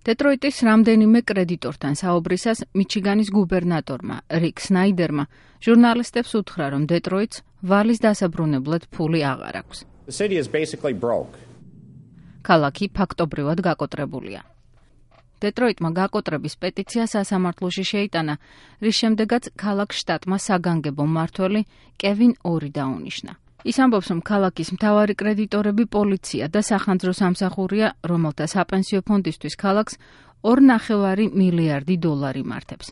დეტროიტის რამდენიმე კრედიტორთან საუბრისას მიჩიგანის გუბერნატორმა რიკ სნაიდერმა ჟურნალისტებს უთხრა, რომ დეტროიტს ვალის დასაბრუნებლად ფული აღარ აქვს. ქალაქი ფაქტობრივად გაკოტრებულია. დეტროიტმა გაკოტრების პეტიცია სასამართლოში შეიტანა, რის შემდეგაც ქალაქ შტატმა საგანგებო მმართველი კევინ ორი დაუნიშნა. ის ამბობს, რომ ქალაქის მთავარი კრედიტორები პოლიცია და სახანძრო სამსახურია, რომელთა საპენსიო ფონდისთვის ქალაქს $2.5 მილიარდი მართებს.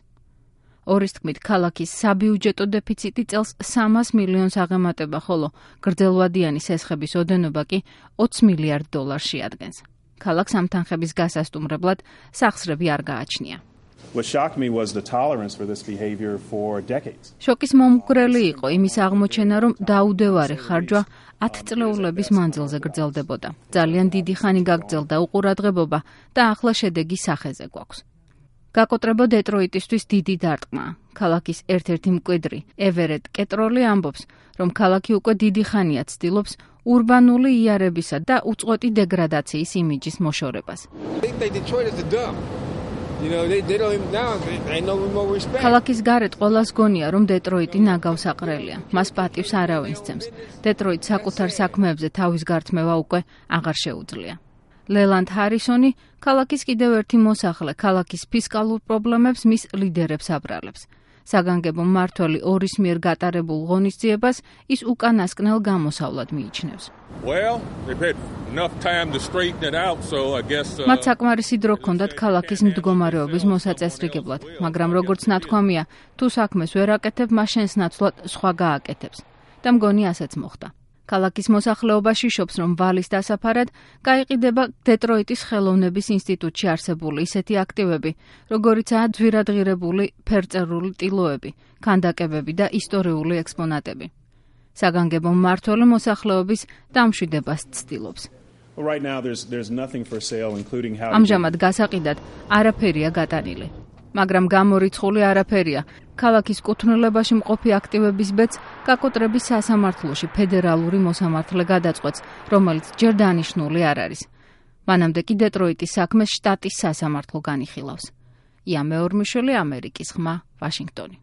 ორის თქმით, ქალაქის საბიუჯეტო დეფიციტი წელს 300 მილიონს აღემატება, ხოლო გრძელვადიანი სესხების ოდენობა კი $20 მილიარდ შეადგენს. ქალაქს ამ თანხების გასასტუმრებლად სახსრები არ გააჩნია. შოკის მომგვრელი იყო იმის აღმოჩენა, რომ დაუდევარი ხარჯვა 10 წლეულების მანძილზე გრძელდებოდა. ძალიან დიდი ხანი გაგრძელდა უყურადღებობა და ახლა შედეგი სახეზე გვაქვს. გაკოტრება დეტროიტისთვის დიდი დარტყმაა. ქალაქის ერთ-ერთი მკვიდრი, ევერეტ კეტროლი ამბობს, რომ ქალაქი უკვე დიდი ხანია ცდილობს ურბანული იარებისა და უწყვეტი დეგრადაციის იმიჯის მოშორებას. ქალაქის გარეთ ყველას გონია, რომ დეტროიტი ნაგავსაყრელია. მას პატივს არავინ სცემს. დეტროიტს საკუთარ საქმეებზე თავის გართმევა უკვე აღარ შეუძლია. ლელანდ ჰარისონი, ქალაქის კიდევ ერთი მოსახლე, ქალაქის ფისკალურ პრობლემებს მის ლიდერებს აბრალებს. საგანგებო მმართველი ორის მიერ გატარებულ ღონისძიებას ის უკანასკნელ გამოსავლად მიიჩნევს. მათ საკმარისი დრო ჰქონდათ ქალაქის მდგომარეობის მოსაწესრიგებლად, მაგრამ როგორც ნათქვამია, თუ საქმეს ვერ აკეთებ, მას შენს ნაცვლად სხვა გააკეთებს. და მგონი ასეც მოხდა. ქალაქის მოსახლეობა შიშობს, რომ ვალის დასაფარად გაიყიდება დეტროიტის ხელოვნების ინსტიტუტში არსებული ისეთი აქტივები, როგორიცაა ძვირადღირებული ფერწერული ტილოები, ქანდაკებები და ისტორიული ექსპონატები. საგანგებო მმართველი მოსახლეობის დამშვიდებას ცდილობს. ამჟამად გასაყიდად არაფერია გატანილი. მაგრამ გამორიცხული არაფერია. ქალაქის კუთვნილებაში მყოფი აქტივების ბედს გაკოტრების სასამართლოში ფედერალური მოსამართლე გადაწყვეტს, რომელიც ჯერ დანიშნული არ არის. მანამდე კი დეტროიტის საქმეს შტატის სასამართლო განიხილავს. ია მეორმიშვილი, ამერიკის ხმა, ვაშინგტონი.